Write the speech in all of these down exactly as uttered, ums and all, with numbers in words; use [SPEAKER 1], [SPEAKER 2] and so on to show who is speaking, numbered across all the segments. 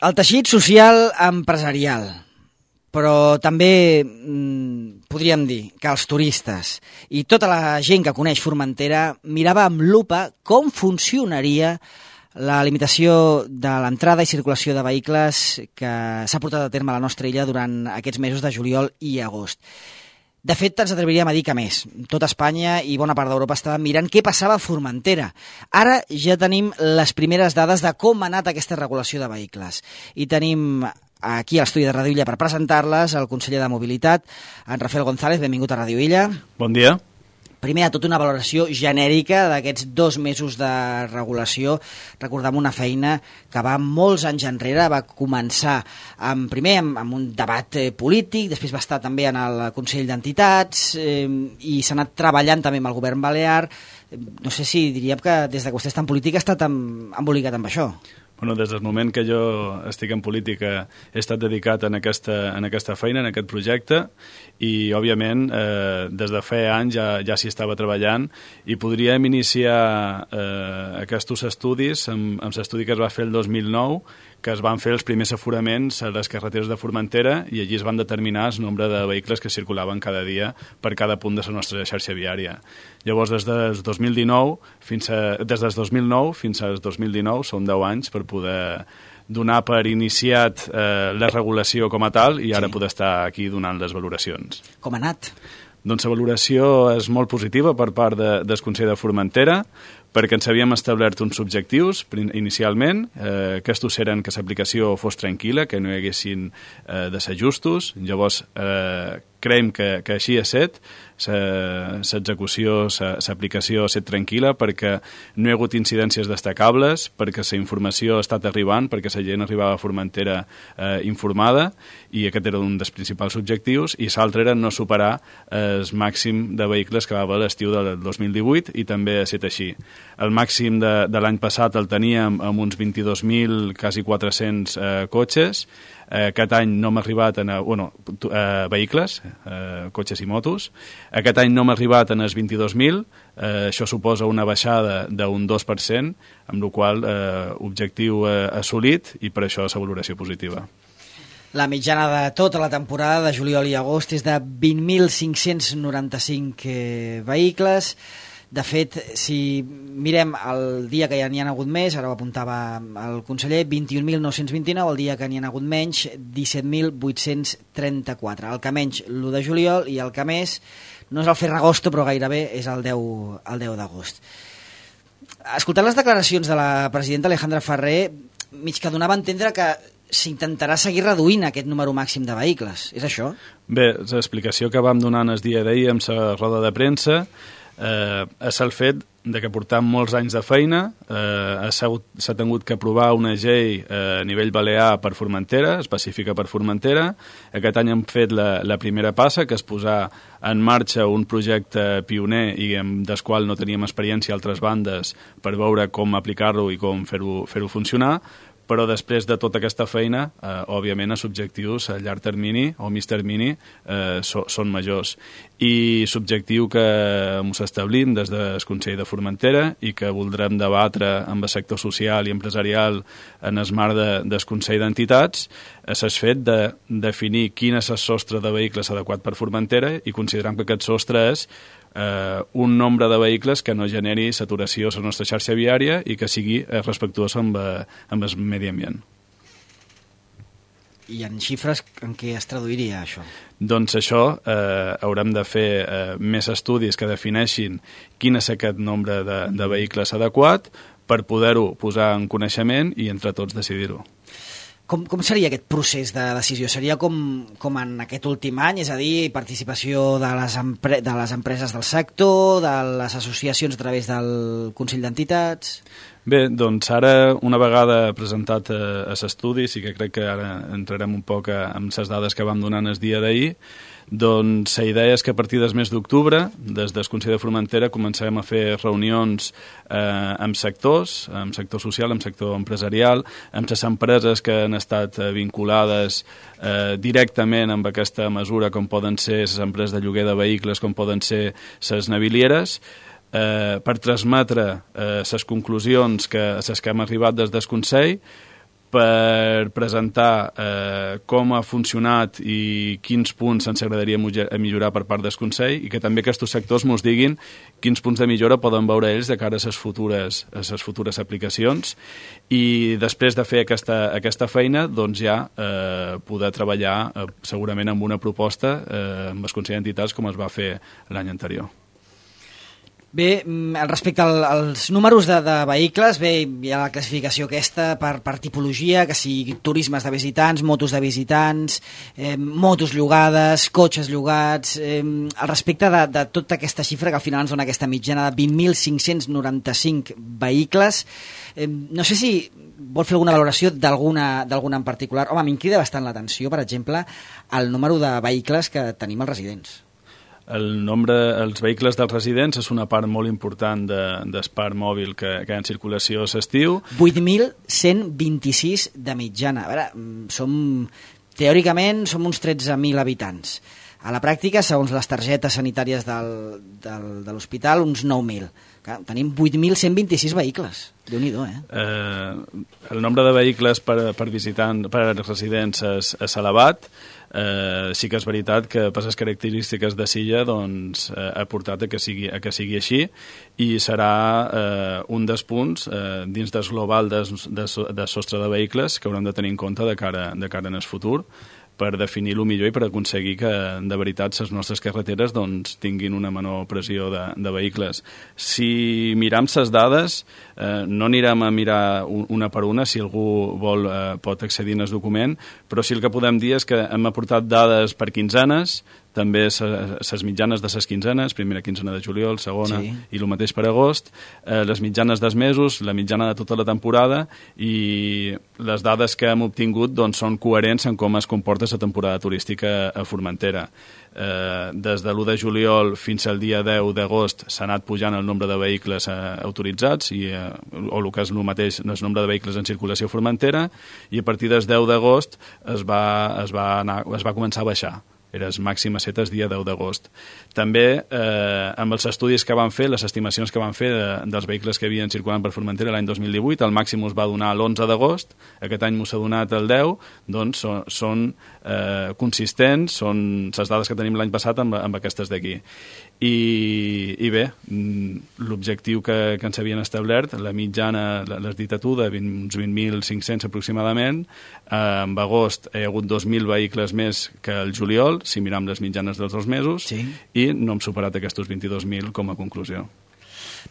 [SPEAKER 1] El teixit social empresarial, però també mm, podríem dir que els turistes i tota la gent que coneix Formentera mirava amb lupa com funcionaria la limitació de l'entrada i circulació de vehicles que s'ha portat a terme a la nostra illa durant aquests mesos de juliol i agost. De fet, ens atreviríem a dir que més. Tota Espanya i bona part d'Europa estaven mirant què passava a Formentera. Ara ja tenim les primeres dades de com ha anat aquesta regulació de vehicles. I tenim aquí a l'estudi de Ràdio Illa per presentar-les el conseller de Mobilitat, en Rafael González. Benvingut a Ràdio Illa.
[SPEAKER 2] Bon dia.
[SPEAKER 1] Primer de tot, una valoració genèrica d'aquests dos mesos de regulació. Recordem una feina que va molts anys enrere, va començar amb, primer amb, amb un debat eh, polític, després va estar també en el Consell d'Entitats eh, i s'ha anat treballant també amb el govern balear. No sé si diríem que des que vostè està en política ha estat amb, embolicat amb això.
[SPEAKER 2] Bueno, des del moment que jo estic en política he estat dedicat en aquesta, en aquesta feina, en aquest projecte, i, òbviament, eh, des de fa anys ja, ja s'hi estava treballant i podríem iniciar eh, aquests estudis amb, amb l'estudi que es va fer el dos mil nou, que es van fer els primers aforaments a les carreteres de Formentera i allí es van determinar el nombre de vehicles que circulaven cada dia per cada punt de la nostra xarxa viària. Llavors, des del dos mil dinou fins a, des del dos mil nou fins al dos mil dinou, són deu anys per poder donar per iniciat eh, la regulació com a tal i ara sí. Poder estar aquí donant les valoracions.
[SPEAKER 1] Com ha anat?
[SPEAKER 2] Doncs la valoració és molt positiva per part de, del Consell de Formentera, perquè ens havíem establert uns objectius inicialment, eh, que estos eren que l'aplicació fos tranquil·la, que no hi haguessin eh, desajustos. Llavors, eh, creiem que, que així ha set, l'execució, l'aplicació ha set tranquil·la perquè no hi ha hagut incidències destacables, perquè la informació ha estat arribant, perquè la gent arribava a Formentera eh, informada, i aquest era un dels principals objectius, i l'altre era no superar el màxim de vehicles que va haver l'estiu del dos mil divuit, i també ha estat així. El màxim de, de l'any passat el teníem amb uns vint-i-dos mil, quasi quatre-cents eh, cotxes. Eh, aquest any no hem arribat a... Bueno, eh, vehicles, eh, cotxes i motos. Aquest any no hem arribat en els vint-i-dos mil. Eh, això suposa una baixada d'un dos per cent, amb la qual cosa eh, objectiu eh, assolit, i per això la valoració positiva.
[SPEAKER 1] La mitjana de tota la temporada de juliol i agost és de vint mil cinc-cents noranta-cinc eh, vehicles. De fet, si mirem el dia que ja n'hi ha hagut més, ara ho apuntava el conseller, vint-i-un mil nou-cents vint-i-nou, el dia que n'hi ha hagut menys, disset mil vuit-cents trenta-quatre. El que menys, l'u de juliol, i el que més, no és el Ferragosto, però gairebé és el deu, el deu d'agost. Escoltant les declaracions de la presidenta Alejandra Ferrer, mig que donava a entendre que s'intentarà seguir reduint aquest número màxim de vehicles. És això?
[SPEAKER 2] Bé, l'explicació que vam donar el dia d'ahir amb la roda de premsa eh, és el fet de que portam molts anys de feina, eh, s'ha tingut que aprovar una llei eh, a nivell balear per Formentera, específica per Formentera. Aquest any hem fet la, la primera passa, que és posar en marxa un projecte pioner i amb del qual no teníem experiència a altres bandes per veure com aplicar-lo i com fer-ho fer-ho funcionar. Però després de tota aquesta feina, eh, òbviament, els objectius a llarg termini o mig termini eh, so, són majors. I l'objectiu que ens establim des del Consell de Formentera i que voldrem debatre amb el sector social i empresarial en el marc de, del Consell d'Entitats és el fet de definir quin és el sostre de vehicles adequat per Formentera i considerem que aquest sostre és eh, un nombre de vehicles que no generi saturació a la nostra xarxa viària i que sigui eh, respectuós amb, eh, amb el medi ambient.
[SPEAKER 1] I en xifres en què es traduiria això?
[SPEAKER 2] Doncs això eh, haurem de fer eh, més estudis que defineixin quin és aquest nombre de, de vehicles adequat per poder-ho posar en coneixement i entre tots decidir-ho.
[SPEAKER 1] Com, com seria aquest procés de decisió? Seria com, com en aquest últim any, és a dir, participació de les, empre de les empreses del sector, de les associacions a través del Consell d'Entitats?
[SPEAKER 2] Bé, doncs ara, una vegada presentat eh, l'estudi, sí que crec que ara entrarem un poc a, amb les dades que vam donant el dia d'ahir, doncs la idea és que a partir del mes d'octubre, des del Consell de Formentera, començarem a fer reunions eh, amb sectors, amb sector social, amb sector empresarial, amb les empreses que han estat eh, vinculades eh, directament amb aquesta mesura, com poden ser les empreses de lloguer de vehicles, com poden ser les navilieres, eh, per transmetre eh, les conclusions que, a les que hem arribat des del Consell, per presentar eh, com ha funcionat i quins punts ens agradaria millorar per part del Consell, i que també aquests sectors ens diguin quins punts de millora poden veure ells de cara a les futures, a les futures aplicacions, i després de fer aquesta, aquesta feina doncs ja eh, poder treballar eh, segurament amb una proposta eh, amb el Consell d'Entitats com es va fer l'any anterior.
[SPEAKER 1] Bé, respecte al, als números de, de vehicles, bé, hi ha la classificació aquesta per, per tipologia, que sigui turismes de visitants, motos de visitants, eh, motos llogades, cotxes llogats. Eh, al respecte de, de tota aquesta xifra que al final ens dona aquesta mitjana de vint mil cinc-cents noranta-cinc vehicles, eh, no sé si vol fer alguna valoració d'alguna d'alguna en particular. Home, a mi em crida bastant l'atenció, per exemple, el número de vehicles que tenim als residents.
[SPEAKER 2] El nombre, els vehicles dels residents és una part molt important de, del parc mòbil que, que hi ha en circulació a l'estiu.
[SPEAKER 1] vuit mil cent vint-i-sis de mitjana. A veure, som, teòricament som uns tretze mil habitants. A la pràctica, segons les targetes sanitàries del, del, de l'hospital, uns nou mil. Tenim vuit mil cent vint-i-sis vehicles. Déu-n'hi-do, eh?
[SPEAKER 2] eh? El nombre de vehicles per, per visitant, per residents és, és elevat. Eh, sí que és veritat que per les característiques de Silla doncs, eh, ha portat a que sigui, a que sigui així, i serà eh, un dels punts eh, dins del global de, de, de sostre de vehicles que haurem de tenir en compte de cara, de cara en el futur, per definir-lo millor i per aconseguir que de veritat les nostres carreteres doncs, tinguin una menor pressió de, de vehicles. Si miram les dades, eh, no anirem a mirar una per una, si algú vol eh, pot accedir en el document, però sí el que podem dir és que hem aportat dades per quinzenes, també les mitjanes de les quinzenes, primera quinzena de juliol, segona, sí. I el mateix per agost, eh, les mitjanes dels mesos, la mitjana de tota la temporada, i les dades que hem obtingut doncs, són coherents en com es comporta la temporada turística a Formentera. Eh, des de l'u de juliol fins al dia deu d'agost s'ha anat pujant el nombre de vehicles eh, autoritzats, i, eh, o el que és el mateix, el nombre de vehicles en circulació a Formentera, i a partir del deu d'agost es va, es va anar, es va començar a baixar. Era el màxim a set el dia deu d'agost. També, eh, amb els estudis que van fer, les estimacions que van fer de, dels vehicles que havien circulant per Formentera l'any dos mil divuit, el màxim us va donar l'onze d'agost, aquest any m'ho s'ha donat el deu, doncs són, són eh, consistents, són les dades que tenim l'any passat amb, amb aquestes d'aquí. I, i bé, l'objectiu que, que ens havien establert, la mitjana, l'has dit a tu, de vint, uns vint mil cinc-cents aproximadament, eh, en agost hi ha hagut dos mil vehicles més que el juliol, si miram les mitjanes dels dos mesos, sí. I no hem superat aquests vint-i-dos mil com a conclusió.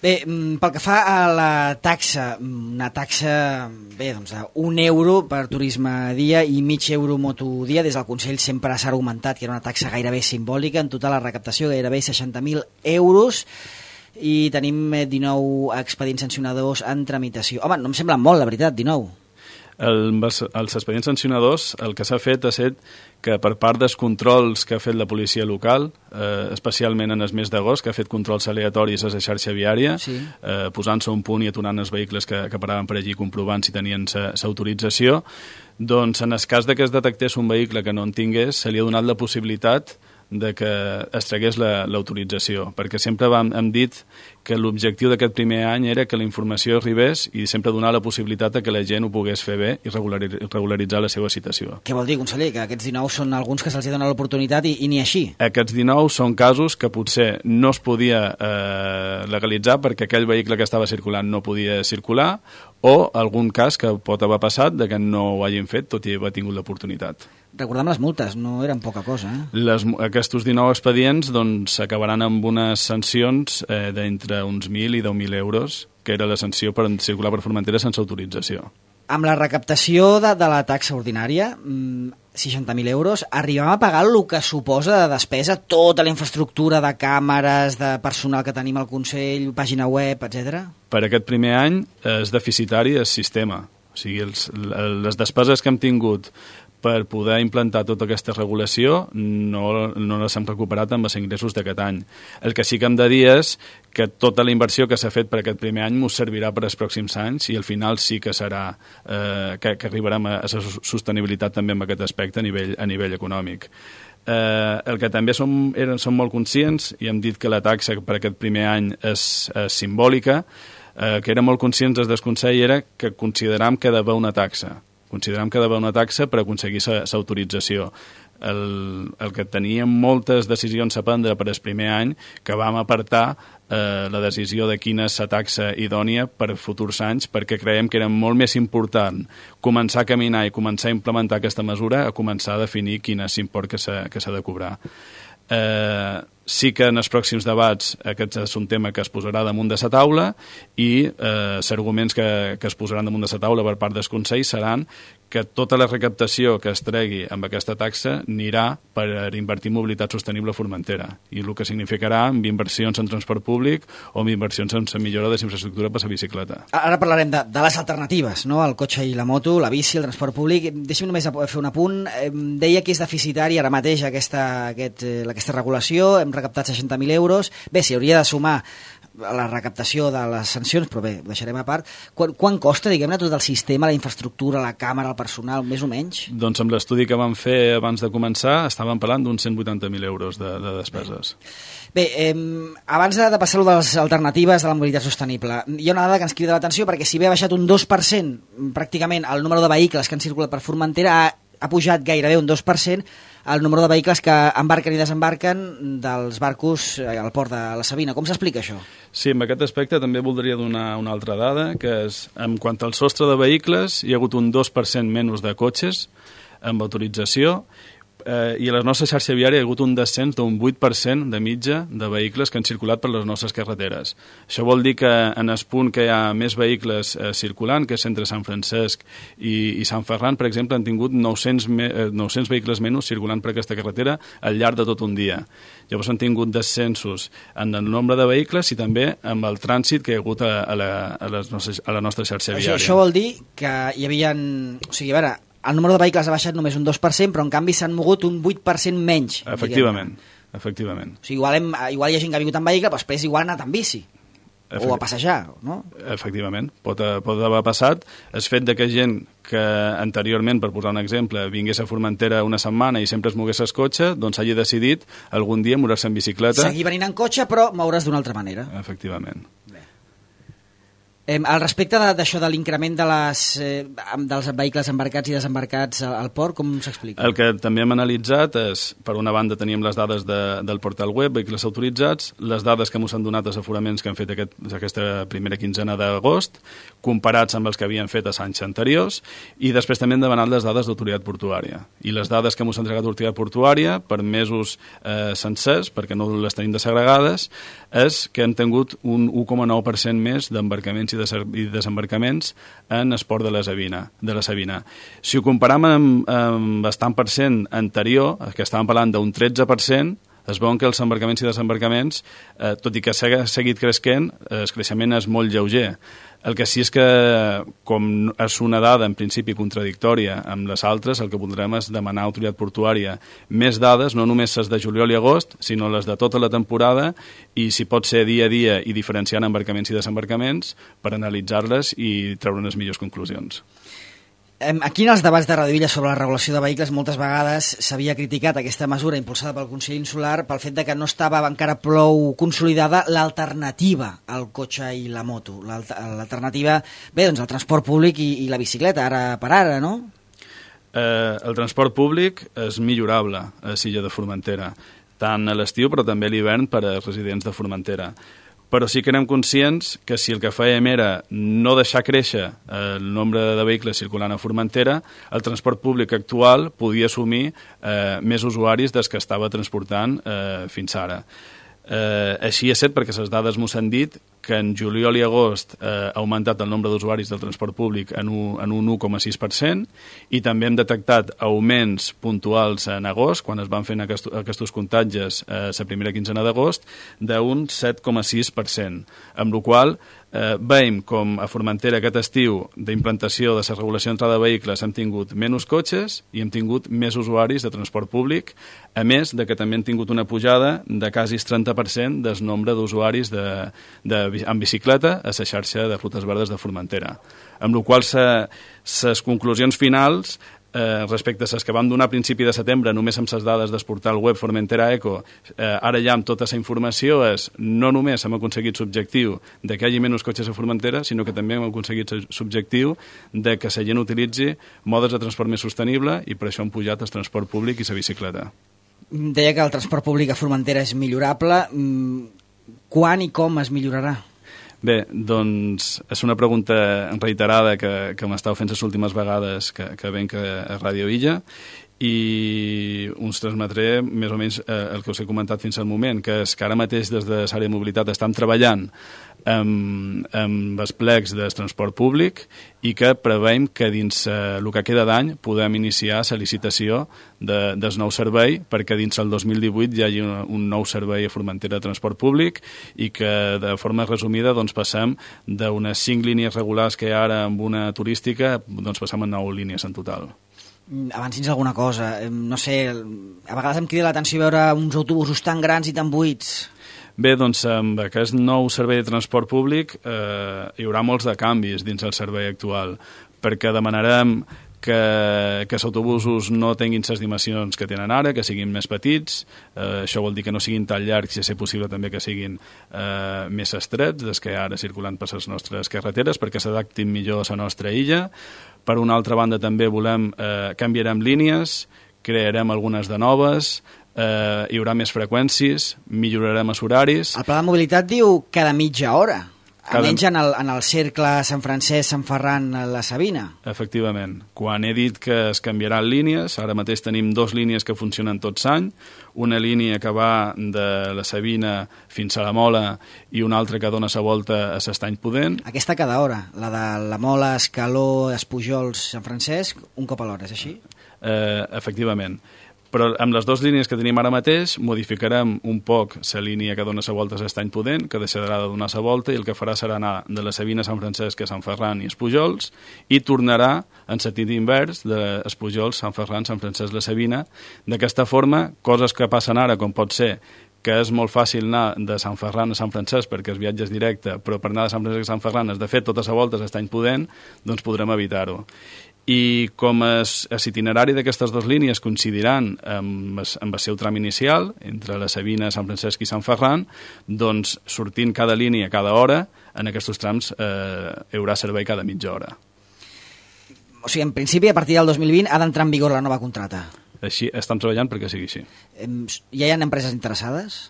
[SPEAKER 1] Bé, pel que fa a la taxa, una taxa bé, doncs, un euro per turisme dia i mig euro moto dia, des del Consell sempre s'ha argumentat que era una taxa gairebé simbòlica, en total la recaptació gairebé seixanta mil euros, i tenim dinou expedients sancionadors en tramitació. Home, no em sembla molt, la veritat, dinou.
[SPEAKER 2] El, els expedients sancionadors, el que s'ha fet ha set que per part dels controls que ha fet la policia local, eh, especialment en el mes d'agost, que ha fet controls aleatoris a la xarxa viària, sí. eh, posant-se un punt i aturant els vehicles que, que paraven per allí, comprovant si tenien l'autorització, doncs en el cas de que es detectés un vehicle que no en tingués, se li ha donat la possibilitat de que es tragués l'autorització, la, perquè sempre vam, hem dit que l'objectiu d'aquest primer any era que la informació arribés i sempre donar la possibilitat de que la gent ho pogués fer bé i regularitzar la seva situació.
[SPEAKER 1] Què vol dir, conseller? Que aquests dinou són alguns que se'ls dona l'oportunitat i, i ni així?
[SPEAKER 2] Aquests dinou són casos que potser no es podia eh, legalitzar perquè aquell vehicle que estava circulant no podia circular, o algun cas que pot haver passat de que no ho hagin fet tot i haver tingut l'oportunitat.
[SPEAKER 1] Recordem les multes, no eren poca cosa, eh?
[SPEAKER 2] Les, aquests dinou expedients doncs, s'acabaran amb unes sancions eh, d'entre uns mil i deu mil euros, que era la sanció per circular per Formentera sense autorització.
[SPEAKER 1] Amb la recaptació de, de la taxa ordinària, seixanta mil euros, arribem a pagar el que suposa de despesa tota la infraestructura de càmeres, de personal que tenim al Consell, pàgina web, etcètera? Per
[SPEAKER 2] aquest primer any és deficitari el sistema. O sigui, els, les despeses que hem tingut per poder implantar tota aquesta regulació no, no les hem recuperat amb els ingressos d'aquest any. El que sí que hem de dir és que tota la inversió que s'ha fet per aquest primer any ens servirà per als pròxims anys i al final sí que serà eh, que, que arribarem a la sostenibilitat també en aquest aspecte a nivell, a nivell econòmic. Eh, el que també som, eren, som molt conscients i hem dit que la taxa per aquest primer any és, és simbòlica, eh, que érem molt conscients des del Consell era que consideràvem que hi ha d'haver una taxa. Considerem que ha d'haver una taxa per aconseguir l'autorització. El, el que teníem moltes decisions a prendre per el primer any, que vam apartar eh, la decisió de quina és la taxa idònia per futurs anys, perquè creiem que era molt més important començar a caminar i començar a implementar aquesta mesura a començar a definir quin és l'import que s'ha que s'ha de cobrar. Eh, sí que en els pròxims debats aquest és un tema que es posarà damunt de la taula i eh, els arguments que, que es posaran damunt de la taula per part dels consells seran que tota la recaptació que es tregui amb aquesta taxa anirà per invertir en mobilitat sostenible a Formentera, i el que significarà amb inversions en transport públic o amb inversions en la millora de la infraestructura per la bicicleta.
[SPEAKER 1] Ara parlarem de, de les alternatives, no? El cotxe i la moto, la bici, el transport públic. Deixa'm només fer un apunt. Deia que és deficitari ara mateix aquesta, aquest, aquesta regulació, hem recaptat seixanta mil euros. Bé, s'hi hauria de sumar la recaptació de les sancions, però bé, ho deixarem a part. Quan, quan costa, diguem-ne, tot el sistema, la infraestructura, la càmera, el personal, més o menys?
[SPEAKER 2] Doncs amb l'estudi que vam fer abans de començar estàvem parlant d'uns cent vuitanta mil euros de, de despeses.
[SPEAKER 1] Bé, eh, abans de, de passar-ho de les alternatives de la mobilitat sostenible, hi ha una dada que ens crida l'atenció, perquè si bé ha baixat un dos per cent pràcticament el número de vehicles que han circulat per Formentera, ha, ha pujat gairebé un dos per cent el número de vehicles que embarquen i desembarquen dels barcos al port de la Sabina. Com s'explica això?
[SPEAKER 2] Sí, en aquest aspecte també voldria donar una altra dada, que és, en quant al sostre de vehicles, hi ha hagut un dos per cent menys de cotxes amb autorització, eh, i a la nostra xarxa viària hi ha hagut un descens d'un vuit per cent de mitja de vehicles que han circulat per les nostres carreteres. Això vol dir que en el punt que hi ha més vehicles eh, circulant, que és entre Sant Francesc i, i Sant Ferran, per exemple, han tingut nou-cents, me, eh, nou-cents vehicles menys circulant per aquesta carretera al llarg de tot un dia. Llavors han tingut descensos en el nombre de vehicles i també amb el trànsit que hi ha hagut a, a, la, a, les nostres, a la nostra xarxa viària.
[SPEAKER 1] Això, això vol dir que hi havia... O sigui, a veure, el número de vehicles ha baixat només un dos per cent, però en canvi s'han mogut un vuit per cent menys.
[SPEAKER 2] Efectivament, efectivament.
[SPEAKER 1] O sigui, igual, hem, igual hi ha gent que ha vingut en vehicle, però després igual ha anat en bici. Efecti... O a passejar, no?
[SPEAKER 2] Efectivament, pot, pot haver passat. El fet de que gent que anteriorment, per posar un exemple, vingués a Formentera una setmana i sempre es mogués el cotxe, doncs hagi decidit algun dia moure-se en bicicleta.
[SPEAKER 1] Seguir venint en cotxe, però moure's d'una altra manera.
[SPEAKER 2] Efectivament.
[SPEAKER 1] Eh, al respecte d'això de, de l'increment de les, eh, dels vehicles embarcats i desembarcats al, al port, com s'explica?
[SPEAKER 2] El que també hem analitzat és, per una banda teníem les dades de, del portal web, vehicles autoritzats, les dades que ens han donat els aforaments que han fet aquest, aquesta primera quinzena d'agost, comparats amb els que havien fet els anys anteriors, i després també hem demanat les dades d'autoritat portuària. I les dades que ens ha entregat l'autoritat portuària, per mesos eh, sencers, perquè no les tenim desagregades, és que hem tingut un u coma nou per cent més d'embarcaments i i desembarcaments en esport de la Sabina. De la Sabina. Si ho comparam amb, amb bastant per cent anterior, que estàvem parlant d'un tretze per cent, es veuen que els embarcaments i desembarcaments, eh, tot i que s'ha seguit creixent, eh, el creixement és molt lleuger. El que sí és que, com és una dada en principi contradictòria amb les altres, el que voldrem és demanar a autoritat portuària més dades, no només les de juliol i agost, sinó les de tota la temporada, i si pot ser dia a dia i diferenciant embarcaments i desembarcaments per analitzar-les i treure unes millors conclusions.
[SPEAKER 1] Aquí en els debats de Radio Illa sobre la regulació de vehicles moltes vegades s'havia criticat aquesta mesura impulsada pel Consell Insular pel fet de que no estava encara prou consolidada l'alternativa al cotxe i la moto. L'alternativa, bé, doncs el transport públic i, i la bicicleta, ara per ara, no?
[SPEAKER 2] Eh, el transport públic és millorable a l'illa de Formentera, tant a l'estiu però també a l'hivern per als residents de Formentera. Però sí que érem conscients que si el que fèiem era no deixar créixer el nombre de vehicles circulant a Formentera, el transport públic actual podia assumir eh, més usuaris dels que estava transportant eh, fins ara. Eh, així és cert perquè les dades mos han dit que en juliol i agost eh, ha augmentat el nombre d'usuaris del transport públic en un, en un u coma sis per cent i també hem detectat augments puntuals en agost, quan es van fent aquest, aquests comptatges eh, la primera quinzena d'agost, d'un set coma sis per cent, amb la qual eh, veiem com a Formentera aquest estiu d'implantació de la regulació d'entrada de vehicles hem tingut menys cotxes i hem tingut més usuaris de transport públic, a més de que també hem tingut una pujada de quasi trenta per cent del nombre d'usuaris de, de en bicicleta a la xarxa de rutes verdes de Formentera. Amb la qual les conclusions finals Eh, respecte a les que vam donar a principi de setembre, només amb les dades del portal web Formentera Eco, eh, ara ja amb tota la informació és no només hem aconseguit l'objectiu de que hi hagi menys cotxes a Formentera, sinó que també hem aconseguit l'objectiu de que la gent utilitzi modes de transport més sostenible, i per això han pujat el transport públic i la bicicleta.
[SPEAKER 1] Deia que el transport públic a Formentera és millorable. Quan i com es millorarà?
[SPEAKER 2] Bé, doncs és una pregunta reiterada que, que m'estàu fent les últimes vegades que, que venc a Ràdio Illa, i uns transmetré més o menys eh, el que us he comentat fins al moment, que és que ara mateix des de l'àrea de mobilitat estem treballant amb, amb els plecs del transport públic, i que preveiem que dins eh, el que queda d'any podem iniciar la licitació de, del nou servei, perquè dins el dos mil divuit hi hagi un, un nou servei a Formentera de transport públic, i que de forma resumida doncs, passem d'unes cinc línies regulars que hi ha ara amb una turística, doncs passem a nou línies en total.
[SPEAKER 1] Avanci'ns alguna cosa, no sé, a vegades em crida l'atenció veure uns autobusos tan grans i tan buits.
[SPEAKER 2] Bé, doncs amb aquest nou servei de transport públic eh, hi haurà molts de canvis dins el servei actual, perquè demanarem que, que els autobusos no tinguin les dimensions que tenen ara, que siguin més petits, eh, això vol dir que no siguin tan llargs, i a ser possible també que siguin eh, més estrets des que ara circulant per les nostres carreteres, perquè s'adaptin millor a la nostra illa. Per una altra banda també volem, eh, canviarem línies, crearem algunes de noves, eh, hi haurà més freqüències, millorarem els horaris.
[SPEAKER 1] El pla de mobilitat diu cada mitja hora.
[SPEAKER 2] Cada...
[SPEAKER 1] Almenys en el, en el cercle Sant Francesc, Sant Ferran, la Sabina.
[SPEAKER 2] Efectivament. Quan he dit que es canviaran línies, ara mateix tenim dues línies que funcionen tots l'any, una línia que va de la Sabina fins a la Mola i una altra que dona la volta a l'Estany Pudent.
[SPEAKER 1] Aquesta cada hora, la de la Mola, Escaló, Espujols, Sant Francesc, un cop a l'hora, és així?
[SPEAKER 2] Eh, efectivament. Però amb les dues línies que tenim ara mateix modificarem un poc la línia que dona la volta a l'Estany Pudent, que deixarà de donar la volta, i el que farà serà anar de la Sabina a Sant Francesc a Sant Ferran i Espujols, i tornarà en sentit invers d'Espujols, Sant Ferran, Sant Francesc, la Sabina. D'aquesta forma, coses que passen ara, com pot ser que és molt fàcil anar de Sant Ferran a Sant Francesc perquè el viatge és directe, però per anar de Sant Francesc a Sant Ferran has de fer tota la volta a l'Estany Pudent, doncs podrem evitar-ho. I com l'itinerari d'aquestes dues línies coincidiran amb, amb el seu tram inicial, entre la Sabina, Sant Francesc i Sant Ferran, doncs sortint cada línia cada hora, en aquests trams eh, hi haurà servei cada mitja hora.
[SPEAKER 1] O sigui, en principi, a partir del dos mil vint ha d'entrar en vigor la nova contracta.
[SPEAKER 2] Així estem treballant perquè sigui així.
[SPEAKER 1] Ja hi ha empreses interessades?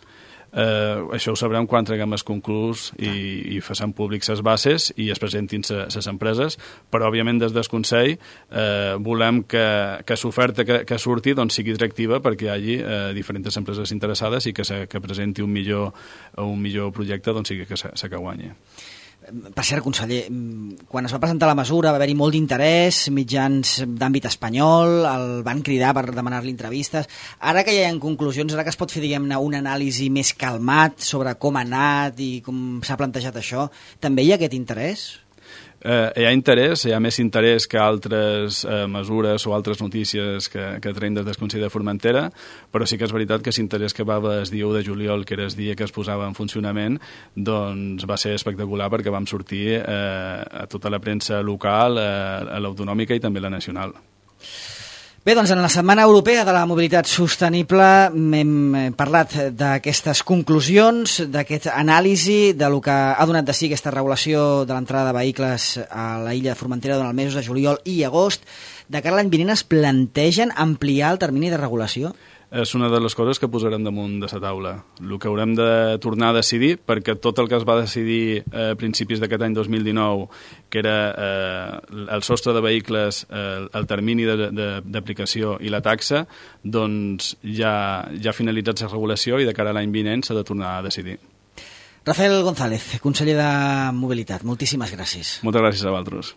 [SPEAKER 2] Eh, això ho sabrem quan treguem el concurs i, i facem públics les bases i es presentin les empreses, però òbviament des del Consell eh, volem que, que l'oferta que, que surti doncs, sigui atractiva perquè hi hagi eh, diferents empreses interessades i que, se, que presenti un millor, un millor projecte doncs, sigui que se, se que guanyi.
[SPEAKER 1] Per cert, conseller, quan es va presentar la mesura va haver-hi molt d'interès, mitjans d'àmbit espanyol, el van cridar per demanar-li entrevistes. Ara que ja hi ha conclusions, ara que es pot fer, diguem-ne, un anàlisi més calmat sobre com ha anat i com s'ha plantejat això, també hi ha aquest interès?
[SPEAKER 2] Eh, hi ha interès, hi ha més interès que altres eh, mesures o altres notícies que, que traiem des del Consell de Formentera, però sí que és veritat que l'interès que va haver el dia u de juliol, que era el dia que es posava en funcionament, doncs va ser espectacular perquè vam sortir eh, a tota la premsa local, eh, a l'autonòmica i també la nacional.
[SPEAKER 1] Bé, doncs en la Setmana Europea de la Mobilitat Sostenible hem parlat d'aquestes conclusions, d'aquest anàlisi, de lo que ha donat de si aquesta regulació de l'entrada de vehicles a la illa de Formentera durant els mesos de juliol i agost. De cara a l'any vinent es plantegen ampliar el termini de regulació?
[SPEAKER 2] És una de les coses que posarem damunt de la taula. El que haurem de tornar a decidir, perquè tot el que es va decidir a principis d'aquest any dos mil dinou, que era eh, el sostre de vehicles, eh, el termini d'aplicació i la taxa, doncs ja, ja ha finalitzat la regulació i de cara a l'any vinent s'ha de tornar a decidir.
[SPEAKER 1] Rafael González, conseller de Mobilitat, moltíssimes gràcies.
[SPEAKER 2] Moltes gràcies a vosaltres.